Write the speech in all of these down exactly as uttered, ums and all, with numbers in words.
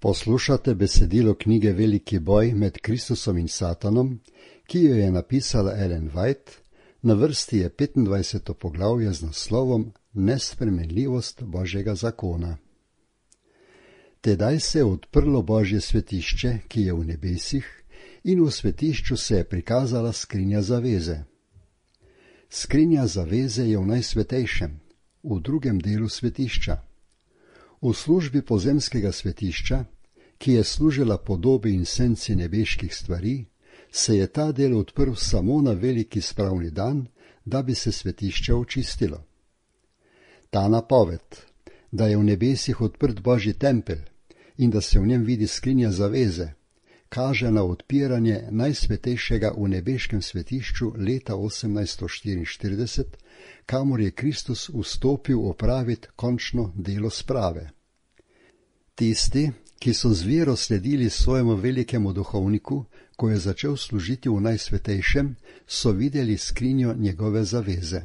Poslušate besedilo knjige Veliki boj med Kristusom in Satanom, ki jo je napisala Ellen White. Na vrsti je petindvajseto poglavje z naslovom Nespremenljivost Božjega zakona. Tedaj se je odprlo Božje svetišče, ki je v nebesih, in v svetišču se je prikazala skrinja zaveze. Skrinja zaveze je v najsvetejšem, v drugem delu svetišča. V službi pozemskega svetišča, ki je služila podobi in senci nebeških stvari, se je ta del odprl samo na veliki spravni dan, da bi se svetišče očistilo. Ta napoved, da je v nebesih odprt Božji tempelj in da se v njem vidi skrinja zaveze, kaže na odpiranje najsvetejšega v nebeškem svetišču leta osemnajststo štiriinštirideset, kamor je Kristus vstopil opraviti končno delo sprave. Tisti, ki so z vero sledili svojemu velikemu duhovniku, ko je začel služiti v najsvetejšem, so videli skrinjo njegove zaveze.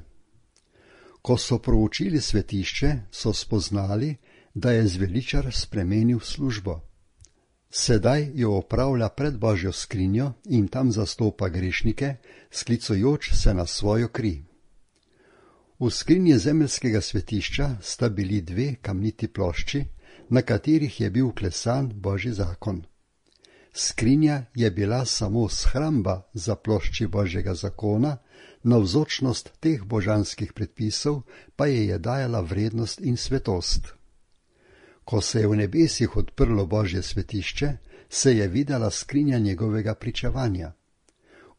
Ko so proučili svetišče, so spoznali, da je zveličar spremenil službo. Sedaj jo opravlja pred Božjo skrinjo in tam zastopa grešnike, sklicujoč se na svojo kri. V skrinji zemeljskega svetišča sta bili dve kamniti plošči, na katerih je bil vklesan Božji zakon. Skrinja je bila samo shramba za plošči Božjega zakona, navzočnost teh božanskih predpisov pa je je dajala vrednost in svetost. Ko se je v nebesih odprlo Božje svetišče, se je videla skrinja njegovega pričevanja.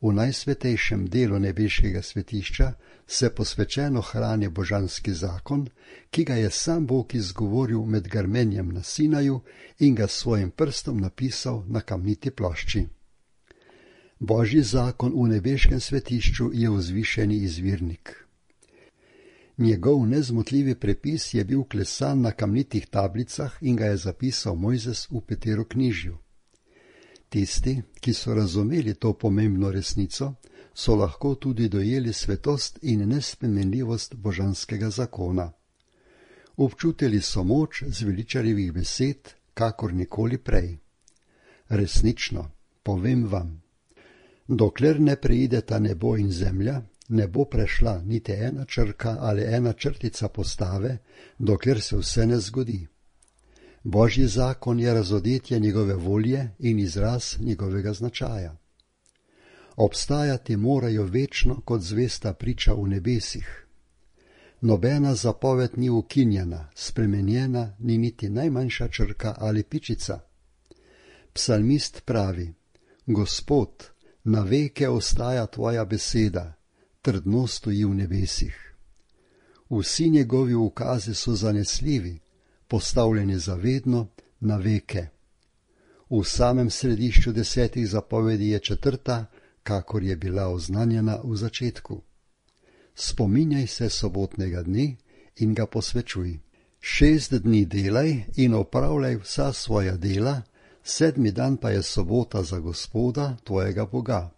V najsvetejšem delu nebeškega svetišča se posvečeno hrani božanski zakon, ki ga je sam Bog izgovoril med grmenjem na Sinaju in ga svojim prstom napisal na kamniti plošči. Božji zakon v nebeškem svetišču je vzvišeni izvirnik. Njegov nezmotljivi prepis je bil klesan na kamnitih tablicah in ga je zapisal Mojzes v Peteroknjižju. Tisti, ki so razumeli to pomembno resnico, so lahko tudi dojeli svetost in nespremenljivost božanskega zakona. Občutili so moč zveličarjevih besed, kakor nikoli prej. Resnično, povem vam, dokler ne preideta nebo in zemlja, ne bo prešla niti ena črka ali ena črtica postave, dokler se vse ne zgodi. Božji zakon je razodetje njegove volje in izraz njegovega značaja. Obstajati morajo večno kot zvesta priča v nebesih. Nobena zapoved ni ukinjena, spremenjena ni niti najmanjša črka ali pičica. Psalmist pravi: Gospod, na veke ostaja tvoja beseda, trdno stoji v nebesih. Vsi njegovi ukazi so zanesljivi, postavljeni zavedno na veke. V samem središču desetih zapovedi je četrta, kakor je bila oznanjena v začetku. Spominjaj se sobotnega dne in ga posvečuj. Šest dni delaj in opravljaj vsa svoja dela, sedmi dan pa je sobota za Gospoda, tvojega Boga.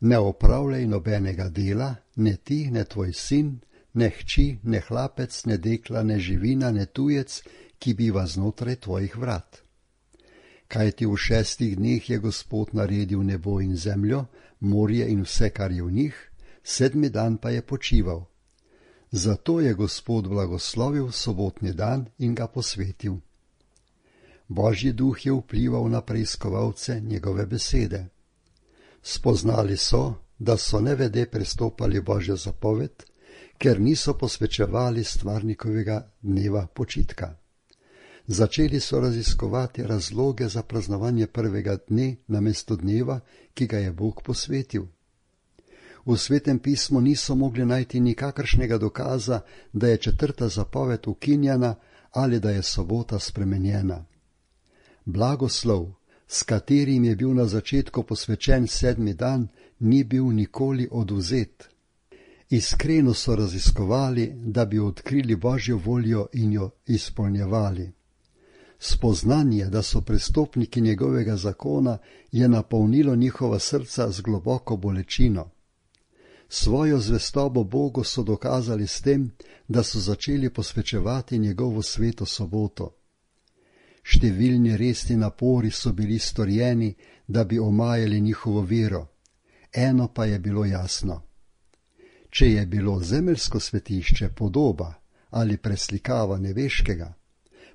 Ne opravljaj nobenega dela, ne ti, ne tvoj sin, ne hči, ne hlapec, ne dekla, ne živina, ne tujec, ki biva znotraj tvojih vrat. Kajti v šestih dneh je Gospod naredil nebo in zemljo, morje in vse, kar je v njih, sedmi dan pa je počival. Zato je Gospod blagoslovil sobotni dan in ga posvetil. Božji duh je vplival na preiskovalce njegove besede. Spoznali so, da so nevede prestopali Božjo zapoved, ker niso posvečevali stvarnikovega dneva počitka. Začeli so raziskovati razloge za praznovanje prvega dne namesto dneva, ki ga je Bog posvetil. V Svetem pismu niso mogli najti nikakršnega dokaza, da je četrta zapoved ukinjena ali da je sobota spremenjena. Blagoslov, s katerim je bil na začetku posvečen sedmi dan, ni bil nikoli odvzet. Iskreno so raziskovali, da bi odkrili Božjo voljo in jo izpolnjevali. Spoznanje, da so prestopniki njegovega zakona, je napolnilo njihova srca z globoko bolečino. Svojo zvestobo Bogu so dokazali s tem, da so začeli posvečevati njegovo sveto soboto. Številni resni napori so bili storjeni, da bi omajali njihovo vero. Eno pa je bilo jasno. Če je bilo zemeljsko svetišče podoba ali preslikava nebeškega,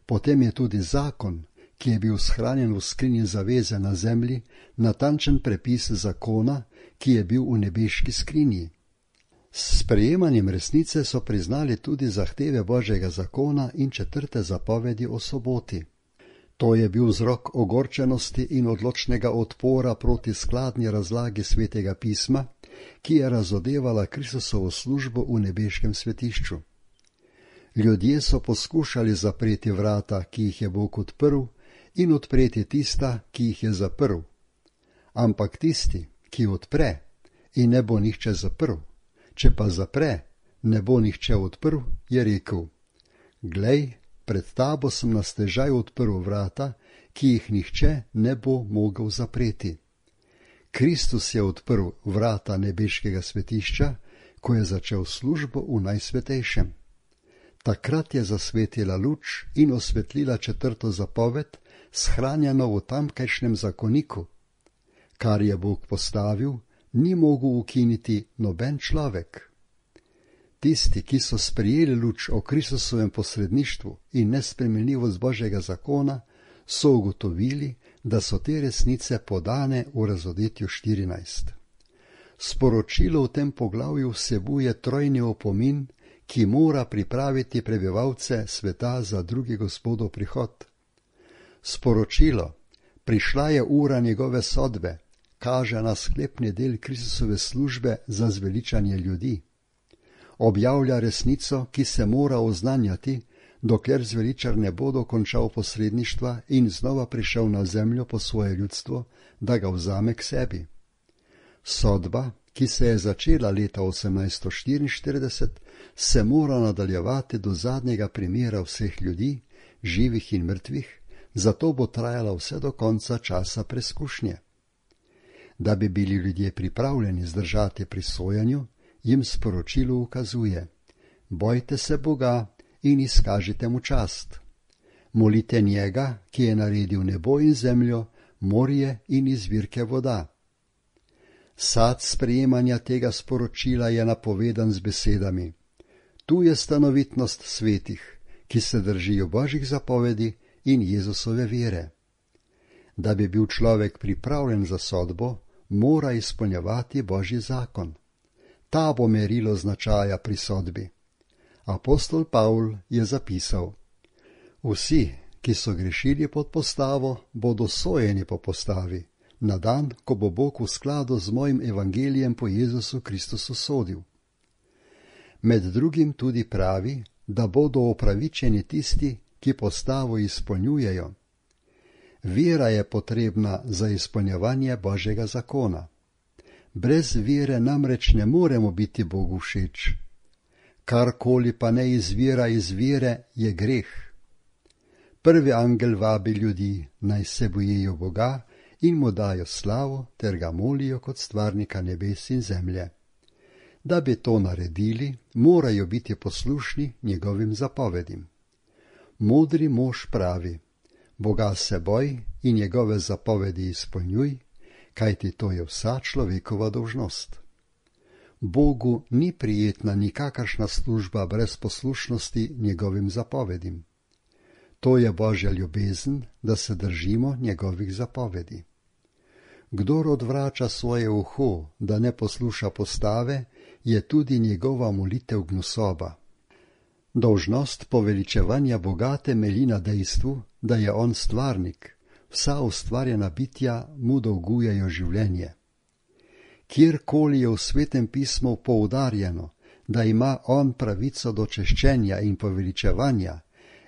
potem je tudi zakon, ki je bil shranjen v skrinji zaveze na zemlji, natančen prepis zakona, ki je bil v nebeški skrinji. S sprejemanjem resnice so priznali tudi zahteve Božjega zakona in četrte zapovedi o soboti. To je bil vzrok ogorčenosti in odločnega odpora proti skladni razlagi Svetega pisma, ki je razodevala Kristusovo službo v nebeškem svetišču. Ljudje so poskušali zapreti vrata, ki jih je Bog odprl, in odpreti tista, ki jih je zaprl. Ampak tisti, ki odpre in ne bo nihče zaprl, če pa zapre, ne bo nihče odprl, je rekel: Glej, pred tabo sem na stežaj odprl vrata, ki jih nihče ne bo mogel zapreti. Kristus je odprl vrata nebeškega svetišča, ko je začel službo v najsvetejšem. Takrat je zasvetila luč in osvetlila četrto zapoved, shranjeno v tamkajšnjem zakoniku. Kar je Bog postavil, ni mogel ukiniti noben človek. Tisti, ki so sprejeli luč o Kristusovem posredništvu in nespremenljivost Božjega zakona, so ugotovili, da so te resnice podane v Razodetju štirinajst. Sporočilo v tem poglavju vsebuje trojni opomin, ki mora pripraviti prebivalce sveta za drugi Gospodov prihod. Sporočilo, prišla je ura njegove sodbe, kaže na sklepni del Kristusove službe za zveličanje ljudi. Objavlja resnico, ki se mora oznanjati, dokler zveličar ne bo dokončal posredništva in znova prišel na zemljo po svoje ljudstvo, da ga vzame k sebi. Sodba, ki se je začela leta osemnajststo štiriinštirideset, se mora nadaljevati do zadnjega primera vseh ljudi, živih in mrtvih, zato bo trajala vse do konca časa preskušnje. Da bi bili ljudje pripravljeni zdržati pri sojenju, jim sporočilo ukazuje: bojte se Boga in izkažite mu čast. Molite njega, ki je naredil nebo in zemljo, morje in izvirke voda. Sad sprejemanja tega sporočila je napovedan z besedami: tu je stanovitnost svetih, ki se držijo Božjih zapovedi in Jezusove vere. Da bi bil človek pripravljen za sodbo, mora izpolnjevati Božji zakon. Ta bo merilo značaja pri sodbi. Apostol Pavl je zapisal: vsi, ki so grešili pod postavo, bodo sojeni po postavi, na dan, ko bo Bog v skladu z mojim evangelijem po Jezusu Kristusu sodil. Med drugim tudi pravi, da bodo opravičeni tisti, ki postavo izpolnjujejo. Vera je potrebna za izpolnjevanje Božjega zakona. Brez vere namreč ne moremo biti Bogu všeč. Karkoli pa ne izvira iz vere, je greh. Prvi angel vabi ljudi, naj se bojijo Boga in mu dajo slavo ter ga molijo kot stvarnika nebes in zemlje. Da bi to naredili, morajo biti poslušni njegovim zapovedim. Modri mož pravi: Boga se boj in njegove zapovedi izpolnjuj, kajti to je vsa človekova dolžnost. Bogu ni prijetna nikakršna služba brez poslušnosti njegovim zapovedim. To je Božja ljubezen, da se držimo njegovih zapovedi. Kdor odvrača svoje uho, da ne posluša postave, je tudi njegova molitev gnusoba. Dolžnost poveličevanja Boga temelji na dejstvu, da je on stvarnik, vsa ustvarjena bitja mu dolgujejo življenje. Kjerkoli je v Svetem pismu poudarjeno, da ima on pravico do češčenja in poveličevanja,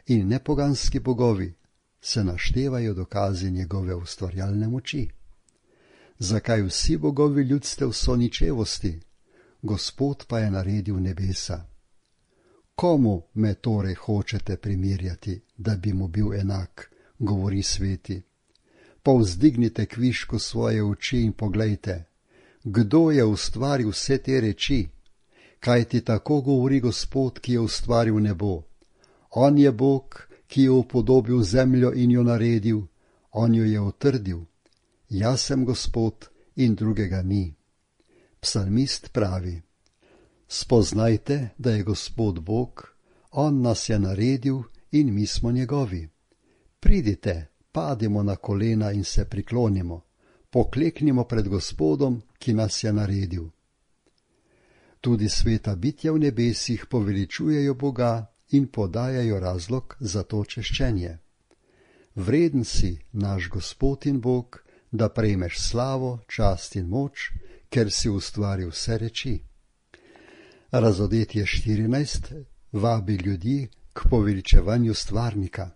in nepoganski bogovi, se naštevajo dokazi njegove ustvarjalne moči. Zakaj vsi bogovi ljudstev so ničevosti, Gospod pa je naredil nebesa? Komu me torej hočete primerjati, da bi mu bil enak, govori sveti? Povzdignite kvišku svoje oči in poglejte, kdo je ustvaril vse te reči? Kajti tako govori Gospod, ki je ustvaril nebo. On je Bog, ki je upodobil zemljo in jo naredil, on jo je utrdil. Jaz sem Gospod in drugega ni. Psalmist pravi: spoznajte, da je Gospod Bog, on nas je naredil in mi smo njegovi. Pridite, padimo na kolena in se priklonimo, pokleknimo pred Gospodom, ki nas je naredil. Tudi sveta bitja v nebesih poveličujejo Boga in podajajo razlog za to češčenje. Vreden si, naš Gospod in Bog, da prejmeš slavo, čast in moč, ker si ustvaril vse reči. Razodetje štirinajst vabi ljudi k poveličevanju stvarnika.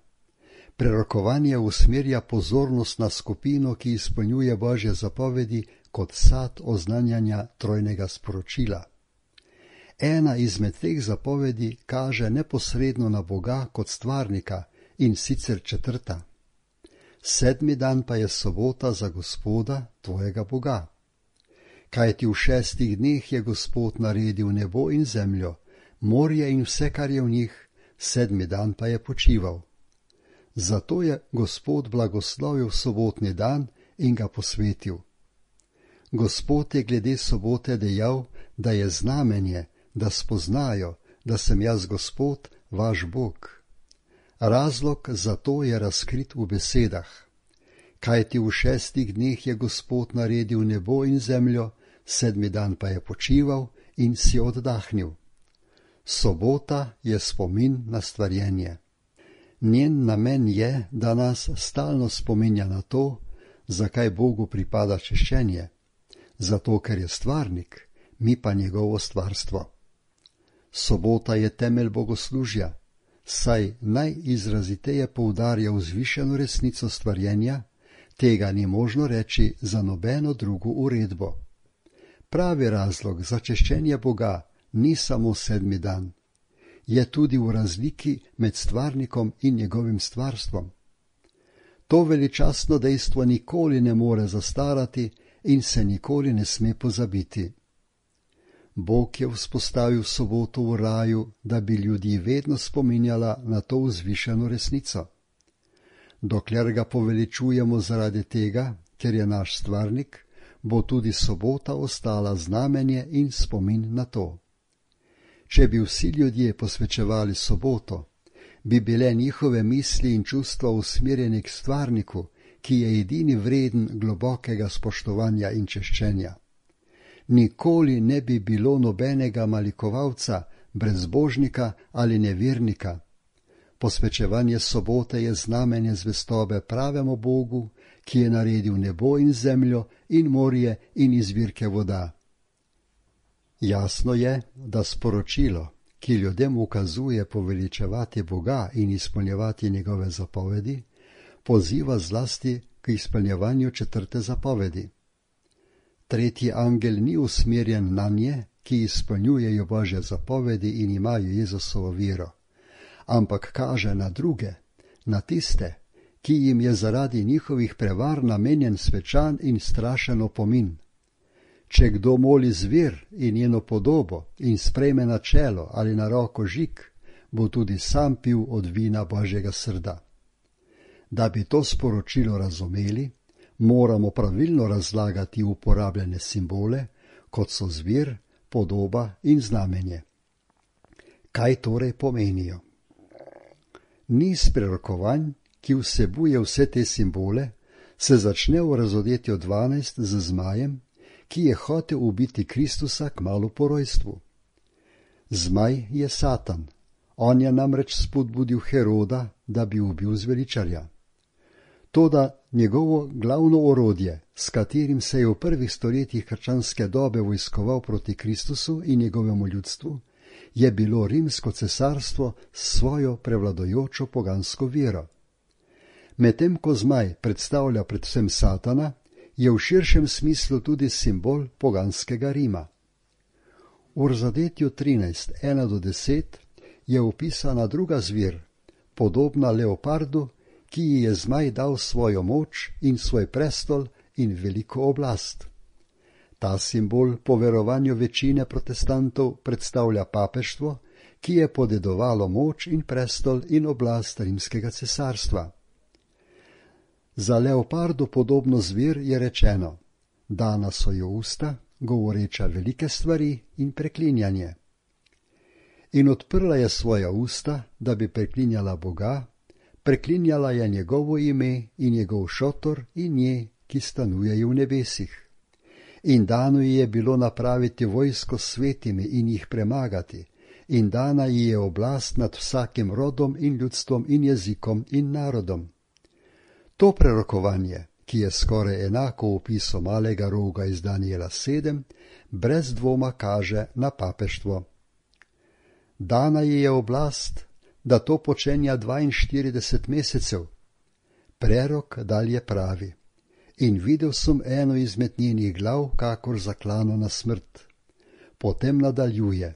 Prerokovanje usmerja pozornost na skupino, ki izpolnjuje Božje zapovedi kot sad oznanjanja trojnega sporočila. Ena izmed teh zapovedi kaže neposredno na Boga kot stvarnika, in sicer četrta. Sedmi dan pa je sobota za Gospoda, tvojega Boga. Kajti v šestih dneh je Gospod naredil nebo in zemljo, morje in vse, kar je v njih, sedmi dan pa je počival. Zato je Gospod blagoslovil sobotni dan in ga posvetil. Gospod je glede sobote dejal, da je znamenje, da spoznajo, da sem jaz Gospod, vaš Bog. Razlog za to je razkrit v besedah. Kajti v šestih dneh je Gospod naredil nebo in zemljo, sedmi dan pa je počival in si oddahnil. Sobota je spomin na stvarjenje. Njen namen je, da nas stalno spominja na to, zakaj Bogu pripada češčenje. Zato, ker je stvarnik, mi pa njegovo stvarstvo. Sobota je temelj bogoslužja, saj najizraziteje poudarja vzvišeno resnico stvarjenja, tega ni možno reči za nobeno drugo uredbo. Pravi razlog za češčenje Boga ni samo sedmi dan, je tudi v razliki med stvarnikom in njegovim stvarstvom. To veličastno dejstvo nikoli ne more zastarati in se nikoli ne sme pozabiti. Bog je vzpostavil soboto v raju, da bi ljudi vedno spominjala na to vzvišeno resnico. Dokler ga poveličujemo zaradi tega, ker je naš stvarnik, bo tudi sobota ostala znamenje in spomin na to. Če bi vsi ljudje posvečevali soboto, bi bile njihove misli in čustva usmerjeni k stvarniku, ki je edini vreden globokega spoštovanja in češčenja. Nikoli ne bi bilo nobenega malikovalca, brezbožnika ali nevernika. Posvečevanje sobote je znamenje zvestobe pravemu Bogu, ki je naredil nebo in zemljo in morje in izvirke voda. Jasno je, da sporočilo, ki ljudem ukazuje poveličevati Boga in izpolnjevati njegove zapovedi, poziva zlasti k izpolnjevanju četrte zapovedi. Tretji angel ni usmerjen na nje, ki izpolnjujejo Božje zapovedi in imajo Jezusovo vero, ampak kaže na druge, na tiste, ki jim je zaradi njihovih prevar namenjen svečan in strašen opomin. Če kdo moli zver in njeno podobo in sprejme na čelo ali na roko žig, bo tudi sam pil od vina Božjega srda. Da bi to sporočilo razumeli, moramo pravilno razlagati uporabljene simbole, kot so zver, podoba in znamenje. Kaj torej pomenijo? Niz prerokovanj, ki vsebuje vse te simbole, se začne v Razodetju dvanajst z zmajem, ki je hotel ubiti Kristusa kmalu po rojstvu. Zmaj je Satan, on je namreč spodbudil Heroda, da bi ubil zveličarja. Toda njegovo glavno orodje, s katerim se je v prvih stoletjih krščanske dobe vojskoval proti Kristusu in njegovemu ljudstvu, je bilo rimsko cesarstvo s svojo prevladojočo pogansko vero. Medtem ko zmaj predstavlja predvsem Satana, je v širšem smislu tudi simbol poganskega Rima. V Razodetju trinajst, ena do deset je opisana druga zver, podobna leopardu, ki ji je zmaj dal svojo moč in svoj prestol in veliko oblast. Ta simbol po verovanju večine protestantov predstavlja papeštvo, ki je podedovalo moč in prestol in oblast rimskega cesarstva. Za leopardu podobno zver je rečeno: dana so jo usta, govoreča velike stvari in preklinjanje. In odprla je svoja usta, da bi preklinjala Boga, preklinjala je njegovo ime in njegov šotor in nje, ki stanujejo v nebesih. In dano ji je bilo napraviti vojsko s svetimi in jih premagati, in dana ji je oblast nad vsakim rodom in ljudstvom in jezikom in narodom. To prerokovanje, ki je skoraj enako opisu malega roga iz Daniela sedem, brez dvoma kaže na papeštvo. Dana ji je oblast, da to počenja dvainštirideset mesecev. Prerok dalje pravi: in videl sem eno izmed njenih glav, kakor zaklano na smrt. Potem nadaljuje: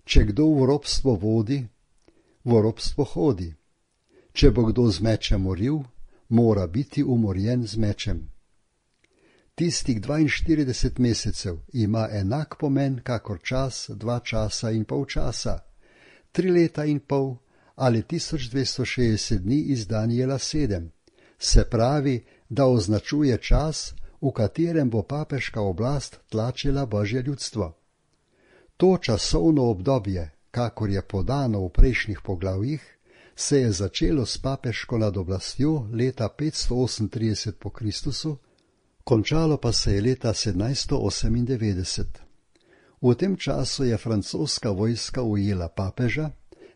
če kdo v ropstvo vodi, v ropstvo hodi. Če bo kdo z mečem moril, mora biti umorjen z mečem. Tistih dvainštirideset mesecev ima enak pomen kakor čas, dva časa in pol časa, tri leta in pol ali tisoč dvesto šestdeset dni iz Daniela sedem, se pravi, da označuje čas, v katerem bo papeška oblast tlačila Božje ljudstvo. To časovno obdobje, kakor je podano v prejšnjih poglavjih, se je začelo s papeško nad oblastjo leta petsto osemintrideset po Kristusu, končalo pa se je leta sedemnajststo osemindevetdeset. V tem času je francoska vojska ujela papeža,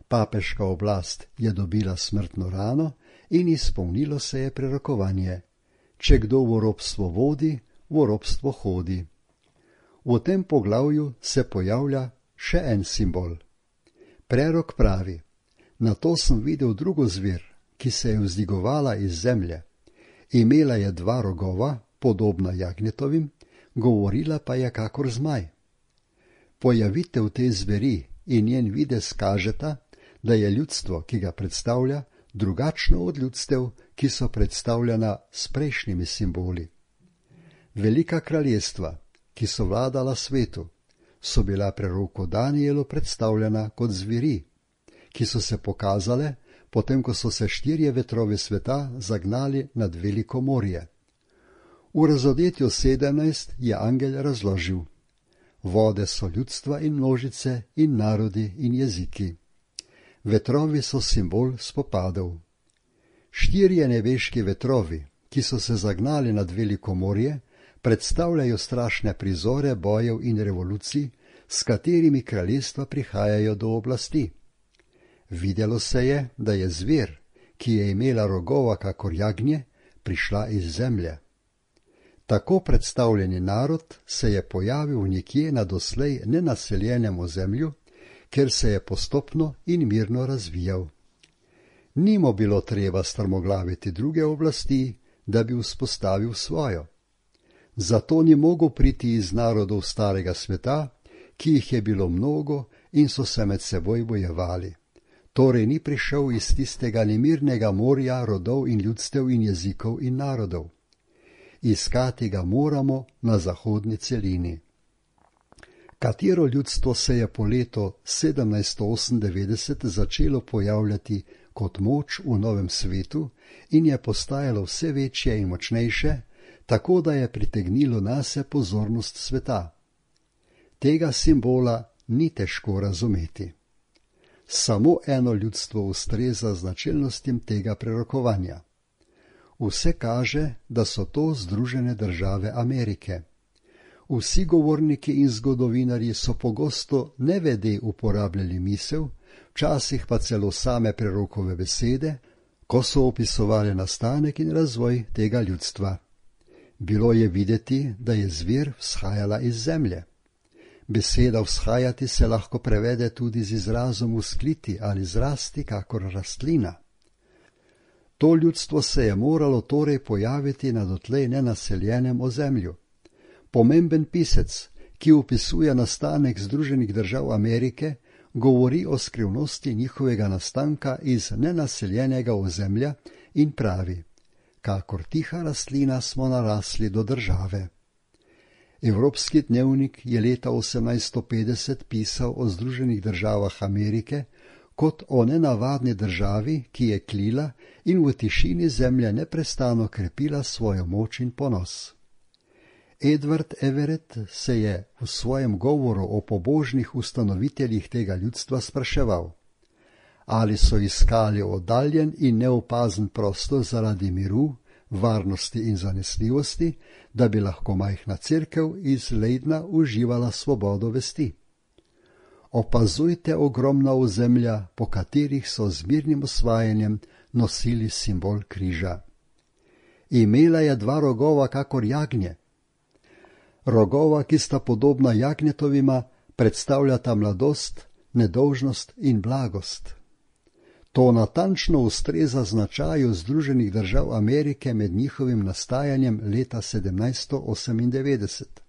papeška oblast je dobila smrtno rano in izpolnilo se je prerokovanje: če kdo v ropstvo vodi, v ropstvo hodi. V tem poglavju se pojavlja še en simbol. Prerok pravi: nato sem videl drugo zver, ki se je vzdigovala iz zemlje. Imela je dva rogova, podobna jagnjetovim, govorila pa je kakor zmaj. Pojavitev te zveri in njen videz kažeta, da je ljudstvo, ki ga predstavlja, drugačno od ljudstev, ki so predstavljena s prejšnjimi simboli. Velika kraljestva, ki so vladala svetu, so bila preroku Danielu predstavljena kot zveri, ki so se pokazale, potem ko so se štirje vetrovi sveta zagnali nad veliko morje. V razodetju sedemnajst je angel razložil: vode so ljudstva in množice in narodi in jeziki. Vetrovi so simbol spopadov. Štirje nebeški vetrovi, ki so se zagnali nad veliko morje, predstavljajo strašne prizore bojev in revolucij, s katerimi kraljestva prihajajo do oblasti. Videlo se je, da je zver, ki je imela rogova kakor jagnje, prišla iz zemlje. Tako predstavljeni narod se je pojavil nekje na doslej nenaseljenem ozemlju, ker se je postopno in mirno razvijal. Ni mu bilo treba strmoglaviti druge oblasti, da bi vzpostavil svojo. Zato ni mogel priti iz narodov starega sveta, ki jih je bilo mnogo in so se med seboj bojevali. Torej ni prišel iz tistega nemirnega morja rodov in ljudstev in jezikov in narodov. Iskati ga moramo na zahodni celini. Katero ljudstvo se je po letu sedemnajststo osemindevetdeset začelo pojavljati kot moč v novem svetu in je postajalo vse večje in močnejše, tako da je pritegnilo nase pozornost sveta. Tega simbola ni težko razumeti. Samo eno ljudstvo ustreza značilnostim tega prerokovanja. Vse kaže, da so to Združene države Amerike. Vsi govorniki in zgodovinarji so pogosto nevede uporabljali misel, včasih pa celo same prerokove besede, ko so opisovali nastanek in razvoj tega ljudstva. Bilo je videti, da je zver vzhajala iz zemlje. Beseda vzhajati se lahko prevede tudi z izrazom vzkliti ali zrasti kakor rastlina. To ljudstvo se je moralo torej pojaviti na dotlej nenaseljenem ozemlju. Pomemben pisec, ki opisuje nastanek Združenih držav Amerike, govori o skrivnosti njihovega nastanka iz nenaseljenega ozemlja in pravi: kakor tiha rastlina smo narasli do države. Evropski dnevnik je leta osemnajststo petdeset pisal o Združenih državah Amerike kot o nenavadni državi, ki je klila in v tišini zemlje neprestano krepila svojo moč in ponos. Edward Everett se je v svojem govoru o pobožnih ustanoviteljih tega ljudstva spraševal, ali so iskali oddaljen in neopazen prostor zaradi miru, varnosti in zanesljivosti, da bi lahko majhna cerkev iz Leidna uživala svobodo vesti. Opazujte ogromna ozemlja, po katerih so z mirnim osvajanjem nosili simbol križa. Imela je dva rogova kakor jagnje. Rogova, ki sta podobna jagnjetovima, predstavljata mladost, nedolžnost in blagost. To natančno ustreza značaju Združenih držav Amerike med njihovim nastajanjem leta sedemnajststo osemindevetdeset.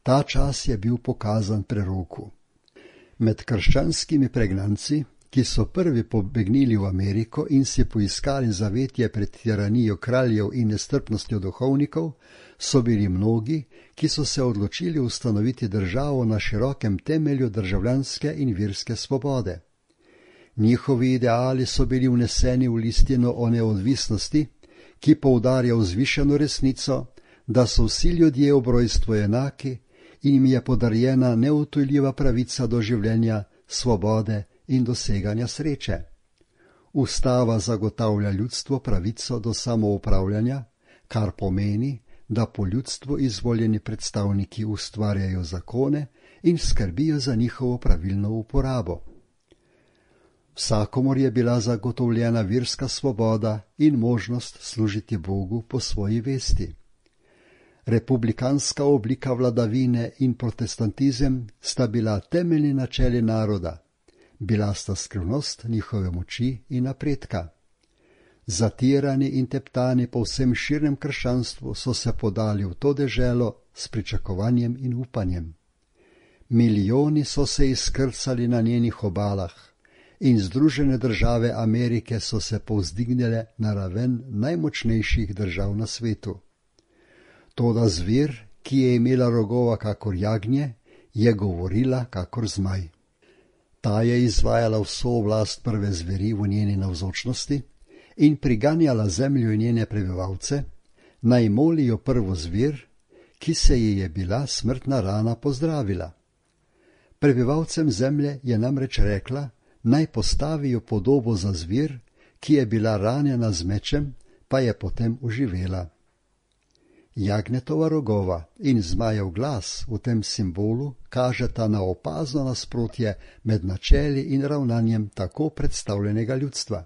Ta čas je bil pokazan preroku. Med krščanskimi pregnanci, ki so prvi pobegnili v Ameriko in si poiskali zavetje pred tiranijo kraljev in nestrpnostjo duhovnikov, so bili mnogi, ki so se odločili ustanoviti državo na širokem temelju državljanske in verske svobode. Njihovi ideali so bili vneseni v listino o neodvisnosti, ki poudarja vzvišeno resnico, da so vsi ljudje ob rojstvu enaki in jim je podarjena neodtujljiva pravica do življenja, svobode in doseganja sreče. Ustava zagotavlja ljudstvu pravico do samoupravljanja, kar pomeni, da po ljudstvu izvoljeni predstavniki ustvarjajo zakone in skrbijo za njihovo pravilno uporabo. Vsakomur je bila zagotovljena verska svoboda in možnost služiti Bogu po svoji vesti. Republikanska oblika vladavine in protestantizem sta bila temeljni načeli naroda, bila sta skrivnost njihove moči in napredka. Zatirani in teptani po vsem širnem krščanstvu so se podali v to deželo s pričakovanjem in upanjem. Milijoni so se izkrcali na njenih obalah in Združene države Amerike so se povzdignile na raven najmočnejših držav na svetu. Toda zver, ki je imela rogova kakor jagnje, je govorila kakor zmaj. Ta je izvajala vso oblast prve zveri v njeni navzočnosti in priganjala zemljo in njene prebivalce, naj molijo prvo zver, ki se ji je bila smrtna rana pozdravila. Prebivalcem zemlje je namreč rekla, naj postavijo podobo za zver, ki je bila ranjena z mečem, pa je potem oživela. Jagnjetova rogova in zmajev glas v tem simbolu kažeta na opazno nasprotje med načeli in ravnanjem tako predstavljenega ljudstva.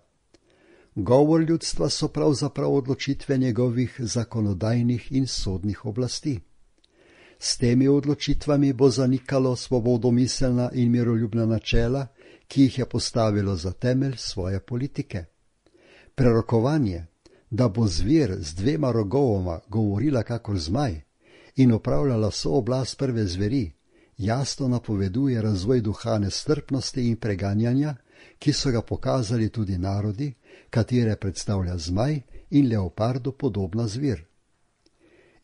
Govor ljudstva so pravzaprav odločitve njegovih zakonodajnih in sodnih oblasti. S temi odločitvami bo zanikalo svobodomiselna in miroljubna načela, ki jih je postavilo za temelj svoje politike. Prerokovanje, da bo zver z dvema rogovoma govorila kakor zmaj in opravljala vso oblast prve zveri, jasno napoveduje razvoj duha nestrpnosti in preganjanja, ki so ga pokazali tudi narodi, katere predstavlja zmaj in leopardu podobna zver.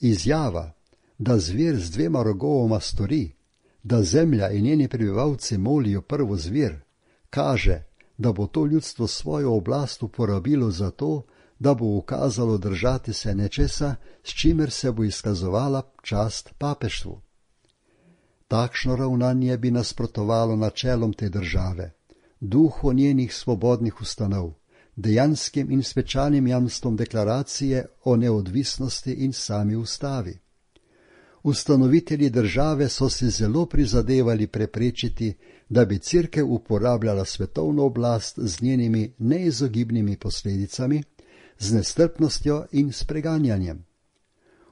Izjava, da zver z dvema rogovoma stori, da zemlja in njeni prebivalci molijo prvo zver, kaže, da bo to ljudstvo svojo oblast uporabilo za to, da bo ukazalo držati se nečesa, s čimer se bo izkazovala čast papeštvu. Takšno ravnanje bi nasprotovalo načelom te države, duhu njenih svobodnih ustanov, dejanskim in svečanim jamstvom deklaracije o neodvisnosti in sami ustavi. Ustanovitelji države so si zelo prizadevali preprečiti, da bi cerkev uporabljala svetovno oblast z njenimi neizogibnimi posledicami, z nestrpnostjo in s preganjanjem.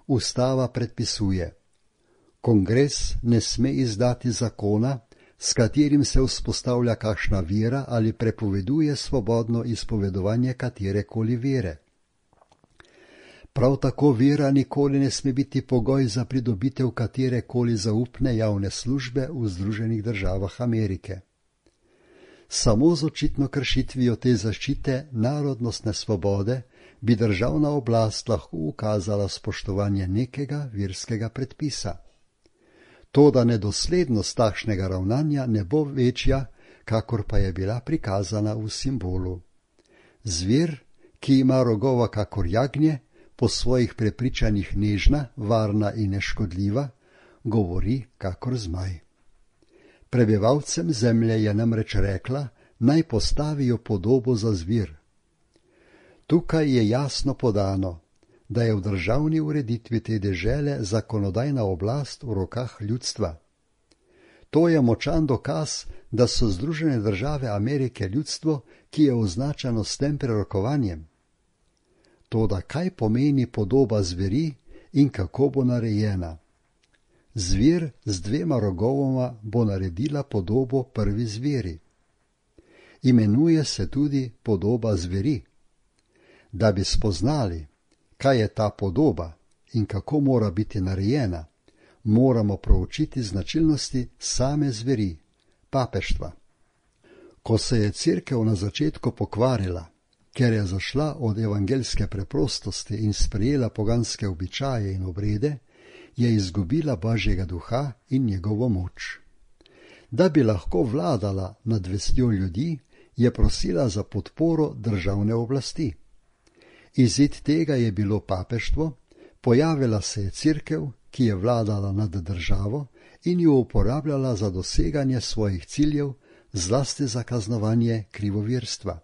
Ustava predpisuje: Kongres ne sme izdati zakona, s katerim se vzpostavlja kakšna vera ali prepoveduje svobodno izpovedovanje katerekoli vere. Prav tako vera nikoli ne sme biti pogoj za pridobitev katerekoli zaupne javne službe v Združenih državah Amerike. Samo z očitno kršitvijo te zaščite narodnostne svobode bi državna oblast lahko ukazala spoštovanje nekega verskega predpisa. Toda nedoslednost takšnega ravnanja ne bo večja, kakor pa je bila prikazana v simbolu. Zver, ki ima rogova kakor jagnje, po svojih prepričanjih nežna, varna in neškodljiva, govori kakor zmaj. Prebivalcem zemlje je namreč rekla, naj postavijo podobo za zvir. Tukaj je jasno podano, da je v državni ureditvi te dežele zakonodajna oblast v rokah ljudstva. To je močan dokaz, da so Združene države Amerike ljudstvo, ki je označeno s tem prerokovanjem. Toda kaj pomeni podoba zveri in kako bo narejena? Zver z dvema rogovoma bo naredila podobo prvi zveri. Imenuje se tudi podoba zveri. Da bi spoznali, kaj je ta podoba in kako mora biti narejena, moramo proučiti značilnosti same zveri, papeštva. Ko se je cerkev na začetku pokvarila, ker je zašla od evangeljske preprostosti in sprejela poganske običaje in obrede, je izgubila Božjega duha in njegovo moč. Da bi lahko vladala nad vestjo ljudi, je prosila za podporo državne oblasti. Izid tega je bilo papeštvo, pojavila se je cerkev, ki je vladala nad državo in jo uporabljala za doseganje svojih ciljev, zlasti za kaznovanje krivovirstva.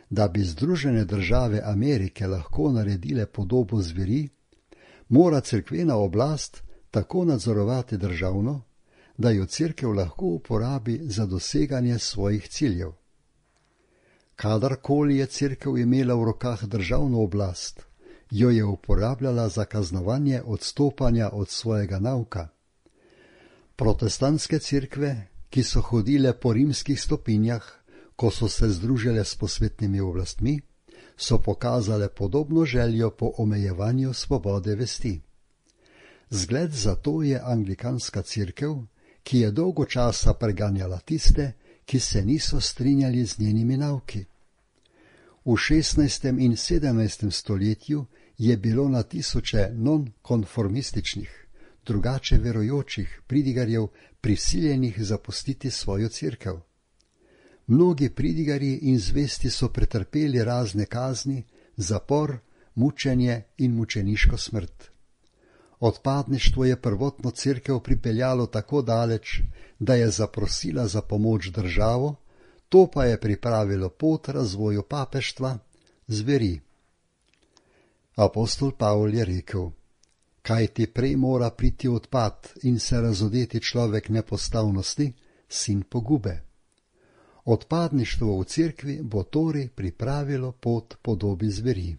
Da bi Združene države Amerike lahko naredile podobo zveri, mora cerkvena oblast tako nadzorovati državno, da jo cerkev lahko uporabi za doseganje svojih ciljev. Kadarkoli je cerkev imela v rokah državno oblast, jo je uporabljala za kaznovanje odstopanja od svojega nauka. Protestantske cerkve, ki so hodile po rimskih stopinjah, ko so se združile s posvetnimi oblastmi, so pokazale podobno željo po omejevanju svobode vesti. Zgled za to je anglikanska cerkev, ki je dolgo časa preganjala tiste, ki se niso strinjali z njenimi nauki. V šestnajstem in sedemnajstem stoletju je bilo na tisoče nonkonformističnih, drugače verujočih pridigarjev prisiljenih zapustiti svojo cerkev. Mnogi pridigarji in zvesti so pretrpeli razne kazni, zapor, mučenje in mučeniško smrt. Odpadništvo je prvotno cerkev pripeljalo tako daleč, da je zaprosila za pomoč državo, to pa je pripravilo pot razvoju papeštva, zveri. Apostol Pavol je rekel, kaj ti prej mora priti odpad in se razodeti človek nepostavnosti, sin pogube. Odpadništvo v cerkvi bo torej pripravilo pot podobi zveri.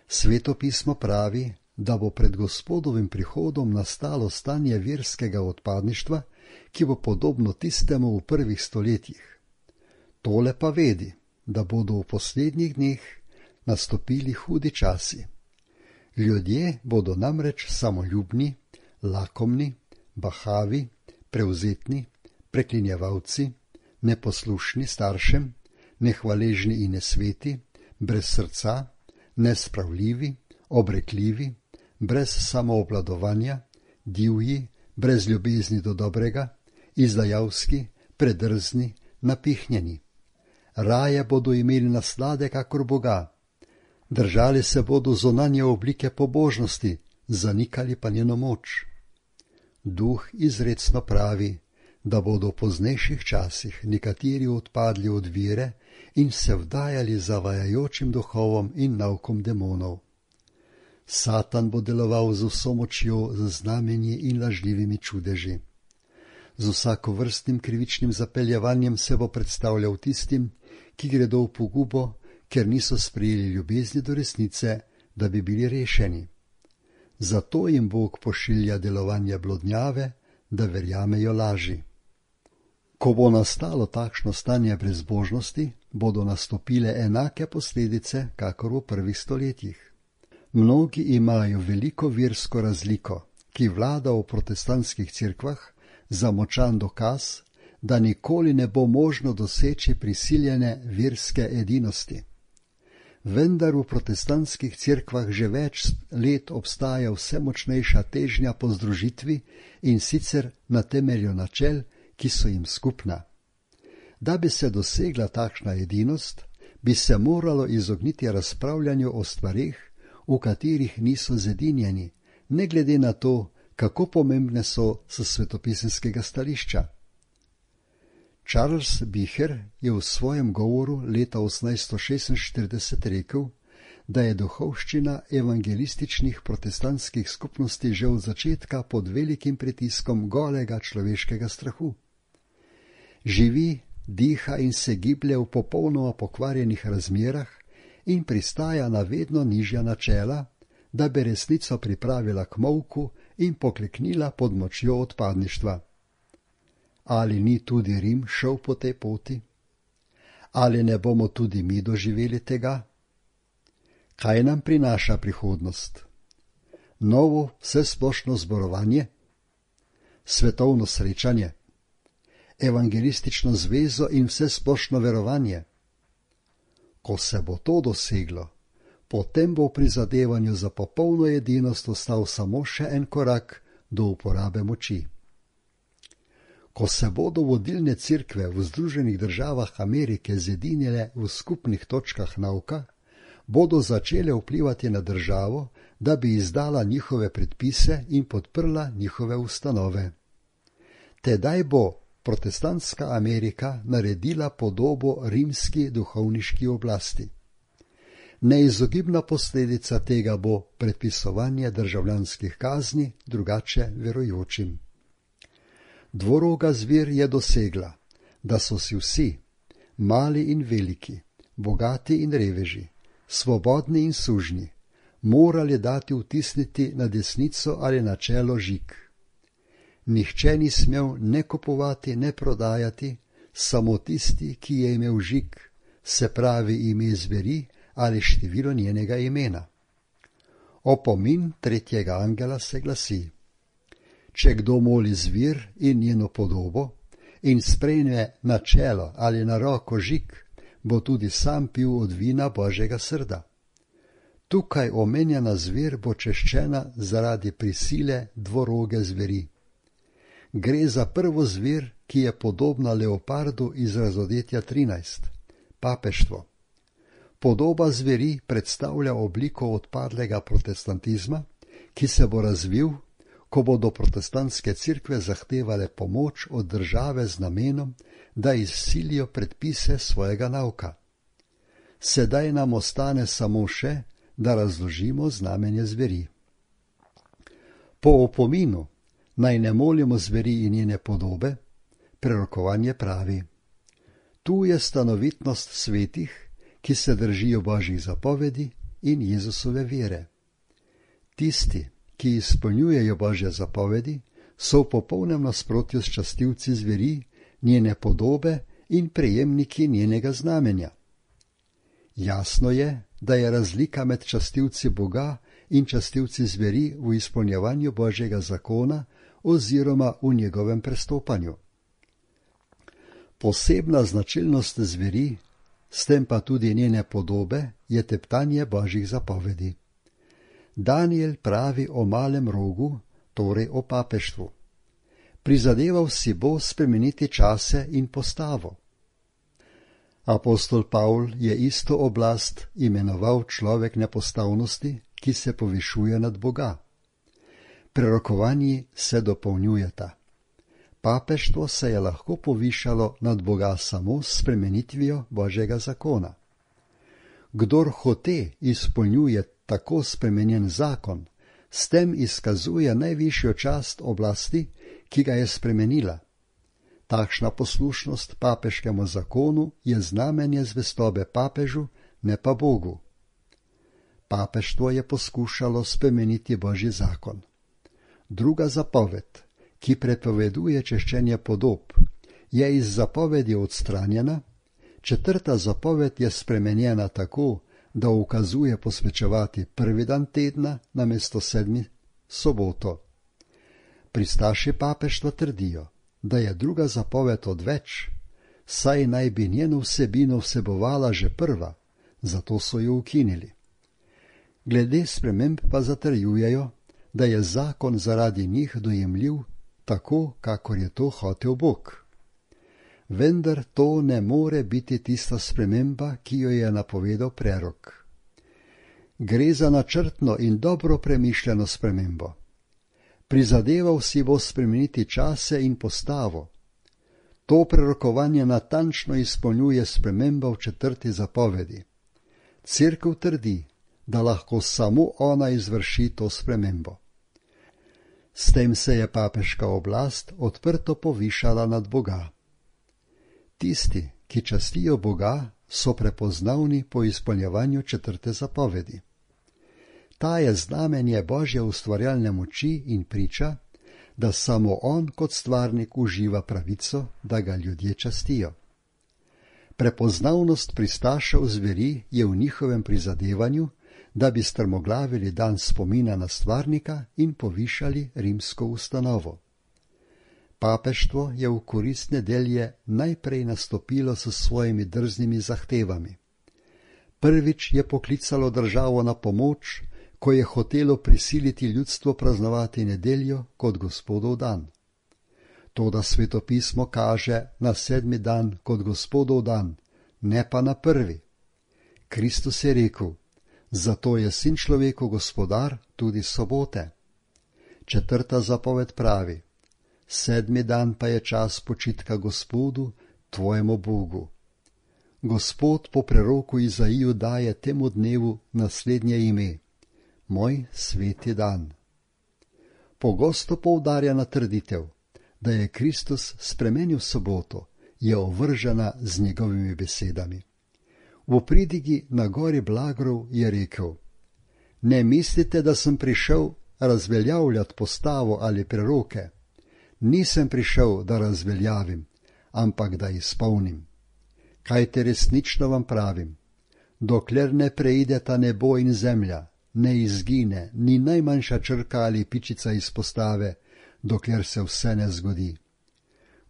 Sveto pismo pravi, da bo pred Gospodovim prihodom nastalo stanje verskega odpadništva, ki bo podobno tistemu v prvih stoletjih. Tole pa vedi, da bodo v poslednjih dneh nastopili hudi časi. Ljudje bodo namreč samoljubni, lakomni, bahavi, prevzetni, preklinjevalci, neposlušni staršem, nehvaležni in nesveti, brez srca, nespravljivi, obrekljivi, brez samoobladovanja, divji, brez ljubezni do dobrega, izdajalski, predrzni, napihnjeni. Raje bodo imeli naslade kakor Boga. Držali se bodo zunanje oblike pobožnosti, zanikali pa njeno moč. Duh izrecno pravi, da bodo v poznejših časih nekateri odpadli od vere in se vdajali zavajajočim duhovom in naukom demonov. Satan bo deloval z vso močjo, z znamenji in lažljivimi čudeži. Z vsakovrstnim krivičnim zapeljevanjem se bo predstavljal tistim, ki gredo v pogubo, ker niso sprejeli ljubezni do resnice, da bi bili rešeni. Zato jim Bog pošilja delovanje blodnjave, da verjamejo laži. Ko bo nastalo takšno stanje brezbožnosti, bodo nastopile enake posledice, kakor v prvih stoletjih. Mnogi imajo veliko versko razliko, ki vlada v protestantskih cerkvah, za močan dokaz, da nikoli ne bo možno doseči prisiljene verske edinosti. vendar v protestantskih cerkvah že več let obstaja vse močnejša težnja po združitvi in sicer na temelju načel, ki so jim skupna. Da bi se dosegla takšna edinost, bi se moralo izogniti razpravljanju o stvareh, v katerih niso zedinjeni, ne glede na to, kako pomembne so s svetopisemskega stališča. Charles Bicher je v svojem govoru leta osemnajststo šestinštirideset rekel, da je duhovščina evangelističnih protestantskih skupnosti že od začetka pod velikim pritiskom golega človeškega strahu. Živi, diha in se giblje v popolnoma pokvarjenih razmerah in pristaja na vedno nižja načela, da bi resnico pripravila k molku in pokleknila pod močjo odpadništva. Ali ni tudi Rim šel po tej poti? Ali ne bomo tudi mi doživeli tega? Kaj nam prinaša prihodnost? Novo vsesplošno zborovanje? Svetovno srečanje? Evangelistično zvezo in vsesplošno verovanje? Ko se bo to doseglo, potem bo v prizadevanju za popolno edinost ostal samo še en korak do uporabe moči. Ko se bodo vodilne cerkve v Združenih državah Amerike zedinile v skupnih točkah nauka, bodo začele vplivati na državo, da bi izdala njihove predpise in podprla njihove ustanove. Tedaj bo protestantska Amerika naredila podobo rimski duhovniški oblasti. Neizogibna posledica tega bo predpisovanje državljanskih kazni drugače verujočim. Dvoroga zver je dosegla, da so si vsi, mali in veliki, bogati in reveži, svobodni in sužnji, morali dati vtisniti na desnico ali na čelo žig. Nihče ni smel ne kupovati, ne prodajati, samo tisti, ki je imel žig, se pravi ime zveri ali število njenega imena. Opomin tretjega angela se glasi: če kdo moli zvir in njeno podobo in sprejme na čelo ali na roko žig, bo tudi sam pil od vina Božjega srda. Tukaj omenjena zver bo češčena zaradi prisile dvoroge zveri. Gre za prvo zver, ki je podobna leopardu iz Razodetja trinajst, papeštvo. Podoba zveri predstavlja obliko odpadlega protestantizma, ki se bo razvil, ko bodo protestantske cerkve zahtevale pomoč od države z namenom, da izsilijo predpise svojega nauka. Sedaj nam ostane samo še, da razložimo znamenje zveri. Po opominu naj ne molimo zveri in njene podobe, prerokovanje pravi: tu je stanovitnost svetih, ki se držijo Božjih zapovedi in Jezusove vere. Tisti, ki izpolnjujejo Božje zapovedi, so v popolnem nasprotju s častilci zveri, njene podobe in prejemniki njenega znamenja. Jasno je, da je razlika med častilci Boga in častilci zveri v izpolnjevanju Božjega zakona oziroma v njegovem prestopanju. Posebna značilnost zveri, s tem pa tudi njene podobe, je teptanje Božjih zapovedi. Daniel pravi o malem rogu, torej o papeštvu. Prizadeval si bo spremeniti čase in postavo. Apostol Pavl je isto oblast imenoval človek nepostavnosti, ki se povišuje nad Boga. Prerokovanji se dopolnjujeta. Papeštvo se je lahko povišalo nad Boga samo s spremenitvijo Božjega zakona. Kdor hote izpolnjuje tako spremenjen zakon, s tem izkazuje najvišjo čast oblasti, ki ga je spremenila. Takšna poslušnost papeškemu zakonu je znamenje zvestobe papežu, ne pa Bogu. Papeštvo je poskušalo spremeniti Božji zakon. Druga zapoved, ki prepoveduje češčenje podob, je iz zapovedi odstranjena, četrta zapoved je spremenjena tako, da ukazuje posvečevati prvi dan tedna namesto sedmi soboto. Pristaši papeštva trdijo, da je druga zapoved odveč, saj naj bi njeno vsebino vsebovala že prva, zato so jo ukinili. Glede sprememb pa zatrjujejo, da je zakon zaradi njih dojemljiv tako, kakor je to hotel Bog. Vendar to ne more biti tista sprememba, ki jo je napovedal prerok. Gre za načrtno in dobro premišljeno spremembo. Prizadeval si bo spremeniti čase in postavo. To prerokovanje natančno izpolnjuje sprememba v četrti zapovedi. Cerkev trdi, da lahko samo ona izvrši to spremembo. S tem se je papeška oblast odprto povišala nad Boga. Tisti, ki častijo Boga, so prepoznavni po izpolnjevanju četrte zapovedi. Ta je znamenje Božje ustvarjalne moči in priča, da samo on kot stvarnik uživa pravico, da ga ljudje častijo. Prepoznavnost pristašev zveri je v njihovem prizadevanju, da bi strmoglavili dan spomina na stvarnika in povišali rimsko ustanovo. Papeštvo je v korist nedelje najprej nastopilo s svojimi drznimi zahtevami. Prvič je poklicalo državo na pomoč, ko je hotelo prisiliti ljudstvo praznovati nedeljo kot Gospodov dan. Toda svetopismo kaže na sedmi dan kot Gospodov dan, ne pa na prvi. Kristus je rekel, zato je sin človeku gospodar tudi sobote. Četrta zapoved pravi, sedmi dan pa je čas počitka Gospodu, tvojemu Bogu. Gospod po preroku Izaiju daje temu dnevu naslednje ime, moj sveti dan. Pogosto poudarjena trditev, da je Kristus spremenil soboto, je ovržena z njegovimi besedami. V pridigi na gori Blagrov je rekel, ne mislite, da sem prišel razveljavljati postavo ali preroke. Nisem prišel, da razveljavim, ampak da izpolnim. Kajte resnično vam pravim, dokler ne preideta nebo in zemlja, ne izgine ni najmanjša črka ali pičica iz postave, dokler se vse ne zgodi.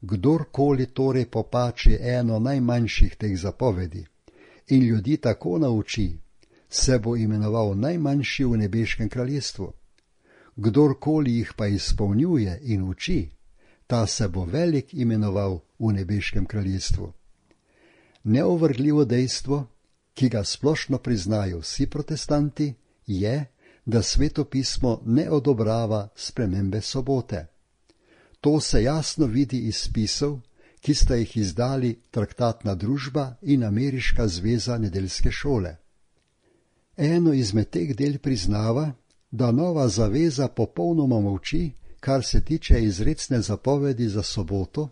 Kdorkoli torej popači eno najmanjših teh zapovedi in ljudi tako nauči, se bo imenoval najmanjši v nebeškem kraljestvu. Kdorkoli jih pa izpolnjuje in uči, ta se bo velik imenoval v nebeškem kraljestvu. Neovrgljivo dejstvo, ki ga splošno priznajo vsi protestanti, je, da svetopismo ne odobrava spremembe sobote. To se jasno vidi iz spisov, ki sta jih izdali Traktatna družba in Ameriška zveza nedeljske šole. Eno izmed teh del priznava, da nova zaveza popolnoma molči, kar se tiče izrecne zapovedi za soboto,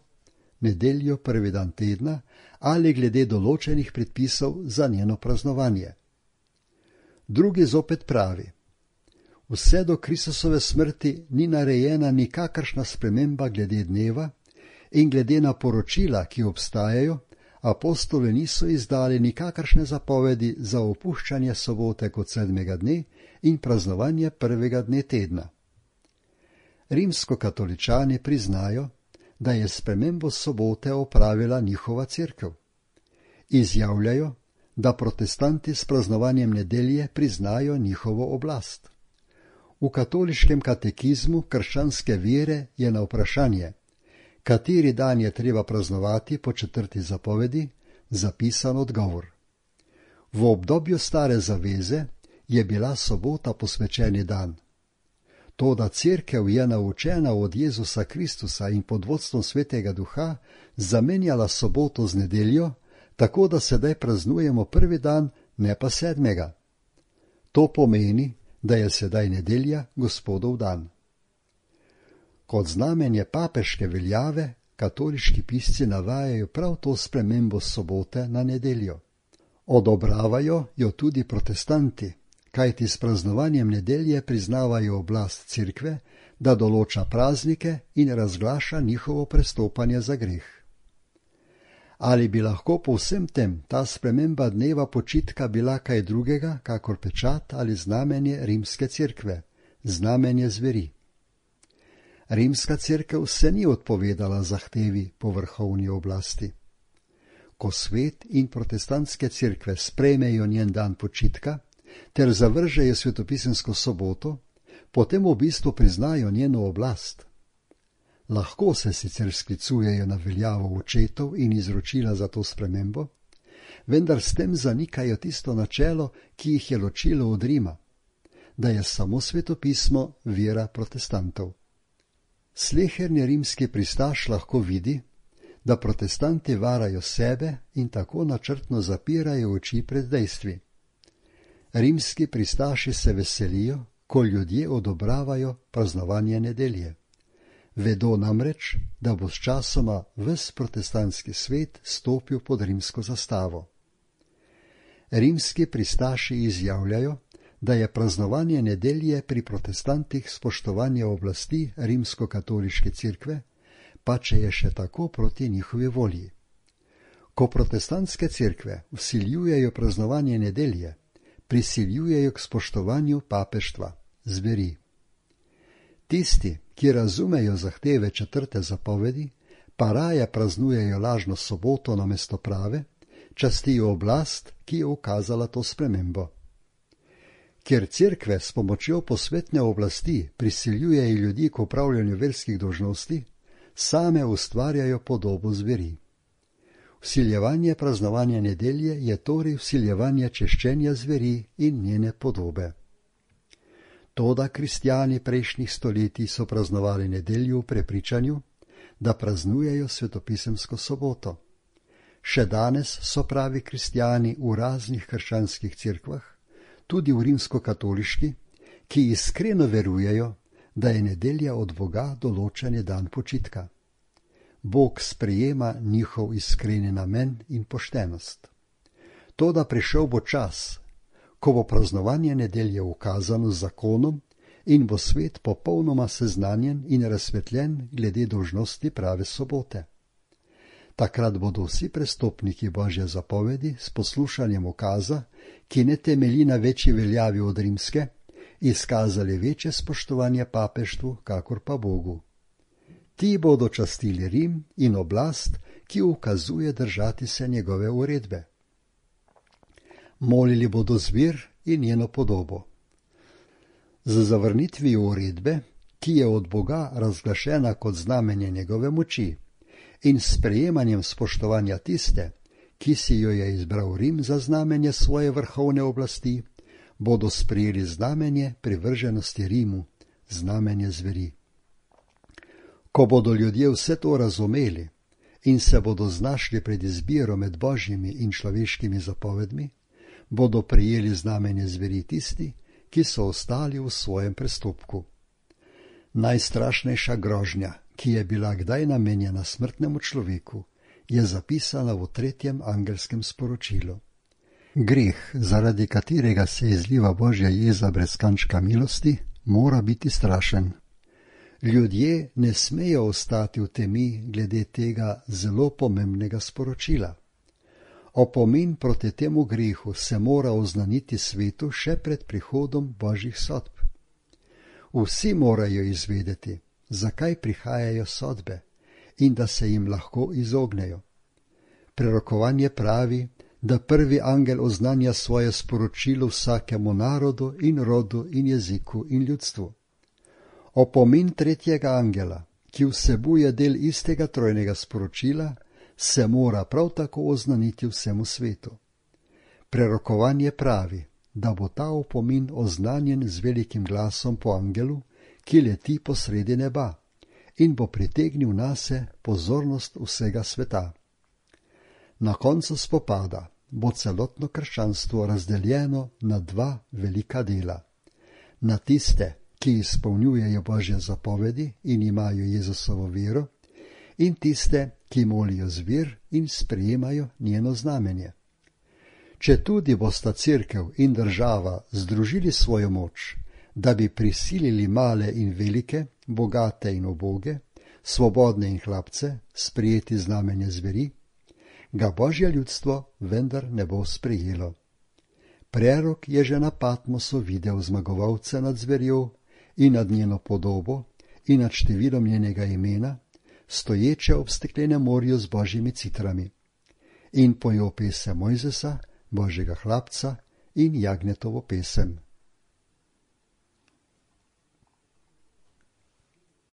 nedeljo prvi dan tedna, ali glede določenih predpisov za njeno praznovanje. Drugi zopet pravi, vse do Kristusove smrti ni narejena nikakršna sprememba glede dneva in glede na poročila, ki obstajajo, apostoli niso izdali nikakršne zapovedi za opuščanje sobote kot sedmega dne in praznovanje prvega dne tedna. Rimskokatoličani priznajo, da je spremembo sobote opravila njihova cerkev. Izjavljajo, da protestanti s praznovanjem nedelje priznajo njihovo oblast. V katoliškem katekizmu krščanske vere je na vprašanje, kateri dan je treba praznovati po četrti zapovedi, zapisan odgovor. V obdobju stare zaveze je bila sobota posvečeni dan. Toda cerkev je naučena od Jezusa Kristusa in pod vodstvom Svetega Duha zamenjala soboto z nedeljo, tako da sedaj praznujemo prvi dan, ne pa sedmega. To pomeni, da je sedaj nedelja Gospodov dan. Kot znamenje papeške veljave, katoliški pisci navajajo prav to spremembo sobote na nedeljo. Odobravajo jo tudi protestanti, kajti s praznovanjem nedelje priznavajo oblast cerkve, da določa praznike in razglaša njihovo prestopanje za greh. Ali bi lahko po vsem tem ta sprememba dneva počitka bila kaj drugega, kakor pečat ali znamenje rimske cerkve, znamenje zveri? Rimska cerkev se ni odpovedala zahtevi po vrhovni oblasti. ko svet in protestantske cerkve sprejmejo njen dan počitka ter zavržejo svetopisemsko soboto, potem v bistvu priznajo njeno oblast. Lahko se sicer sklicujejo na veljavo očetov in izročila za to spremembo, vendar s tem zanikajo tisto načelo, ki jih je ločilo od Rima, da je samo svetopismo vera protestantov. Sleherni rimski pristaš lahko vidi, da protestanti varajo sebe in tako načrtno zapirajo oči pred dejstvi. Rimski pristaši se veselijo, ko ljudje odobravajo praznovanje nedelje. Vedo namreč, da bo s časoma ves protestantski svet stopil pod rimsko zastavo. Rimski pristaši izjavljajo, da je praznovanje nedelje pri protestantih spoštovanje oblasti rimsko-katoliške cerkve, pa če je še tako proti njihovi volji. Ko protestantske cerkve vsiljujejo praznovanje nedelje, prisiljujejo k spoštovanju papeštva, zveri. Tisti, ki razumejo zahteve četrte zapovedi, pa raje praznujejo lažno soboto namesto prave, častijo oblast, ki je ukazala to spremembo. Ker cerkve s pomočjo posvetne oblasti prisiljujejo ljudi k opravljanju verskih dolžnosti, same ustvarjajo podobo zveri. Vsiljevanje praznovanja nedelje je torej vsiljevanje češčenja zveri in njene podobe. Toda kristjani prejšnjih stoletij so praznovali nedeljo v prepričanju, da praznujejo svetopisemsko soboto. Še danes so pravi kristjani v raznih krščanskih cerkvah, tudi v rimsko-katoliški, ki iskreno verujejo, da je nedelja od Boga določen dan počitka. Bog sprejema njihov iskreni namen in poštenost. Toda prišel bo čas, ko bo praznovanje nedelje ukazano z zakonom in bo svet popolnoma seznanjen in razsvetljen glede dolžnosti prave sobote. Takrat bodo vsi prestopniki Božje zapovedi s poslušanjem ukaza, ki ne temelji na večji veljavi od rimske, izkazali večje spoštovanje papeštvu, kakor pa Bogu. Ti bodo častili Rim in oblast, ki ukazuje držati se njegove uredbe. Molili bodo zver in njeno podobo. Z zavrnitvijo uredbe, ki je od Boga razglašena kot znamenje njegove moči, in sprejemanjem spoštovanja tiste, ki si jo je izbral Rim za znamenje svoje vrhovne oblasti, bodo sprejeli znamenje privrženosti Rimu, znamenje zveri. Ko bodo ljudje vse to razumeli in se bodo znašli pred izbiro med božjimi in človeškimi zapovedmi, bodo prijeli znamenje zveri tisti, ki so ostali v svojem prestopku. Najstrašnejša grožnja, ki je bila kdaj namenjena smrtnemu človeku, je zapisana v tretjem angelskem sporočilu. Greh, zaradi katerega se izliva Božja jeza brez kančka milosti, mora biti strašen. Ljudje ne smejo ostati v temi glede tega zelo pomembnega sporočila. Opomin proti temu grehu se mora oznaniti svetu še pred prihodom Božjih sodb. Vsi morajo izvedeti, zakaj prihajajo sodbe in da se jim lahko izognejo. Prerokovanje pravi, da prvi angel oznanja svoje sporočilo vsakemu narodu in rodu in jeziku in ljudstvu. Opomin tretjega angela, ki vsebuje del istega trojnega sporočila, se mora prav tako oznaniti vsemu svetu. Prerokovanje pravi, da bo ta opomin oznanjen z velikim glasom po angelu, ki leti po sredi neba in bo pritegnil nase pozornost vsega sveta. Na koncu spopada bo celotno krščanstvo razdeljeno na dva velika dela. Na tiste, ki izpolnjujejo Božje zapovedi in imajo Jezusovo vero, in tiste, ki molijo zver in sprejemajo njeno znamenje. Četudi bosta cerkev in država združili svojo moč, da bi prisilili male in velike, bogate in uboge, svobodne in hlapce sprejeti znamenje zveri, ga Božje ljudstvo vendar ne bo sprejelo. Prerok je že na Patmosu videl zmagovalce nad zverjo in nad njeno podobo in nad številom njenega imena, stoječe ob steklenem morju z božjimi citrami. in pojo pesem Mojzesa, Božjega hlapca in Jagnjetovo pesem.